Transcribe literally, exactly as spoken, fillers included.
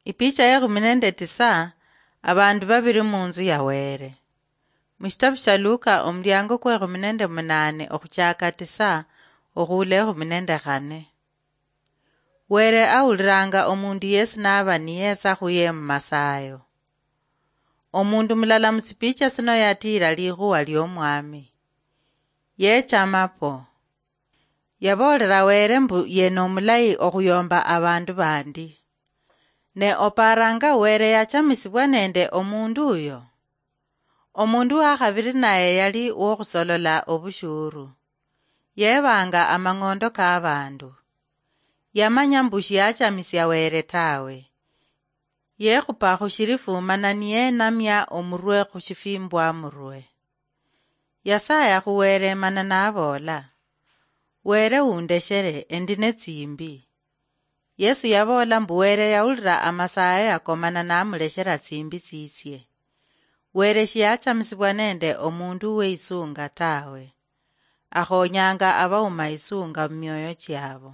Ipicha ya kumi nende tisa. Abandu babiri munzu ya Were. Mushitabu sha Luka, omuliango kwe kumi nende munane okhuchaka tisa okhuula ekhumi nende khane. Were awuliranga omundu yesi naba niyetsa khuye mumasayo. Omundu mulala musipicha sino yatira likhuwa liomwami. Yechama po. Yaboolera Were mbu yena omulayi okhuyomba abandu bandi. Ne oparanga Were yachamisibwa nende omundu uyo? Omundu wakhabiri naye yali wokhusolola obushuru. Yebanga amang'ondo kabandu. Yamanya mbu shiachamisia Were tawe. Yekhupa khushirifu mana niyenamia omurwe khushifimbwamurwe. Yasaya khu Were mana naboola, "Were undeshere, endi netsimbi." Yesu yaboola mbu Were yawulira amasaya yako mana namuleshera tsimbi tsitsie. Were shiachamisibwa nende omundu weisunga tawe. Akhonyanga abauma isunga mumioyo chiabo.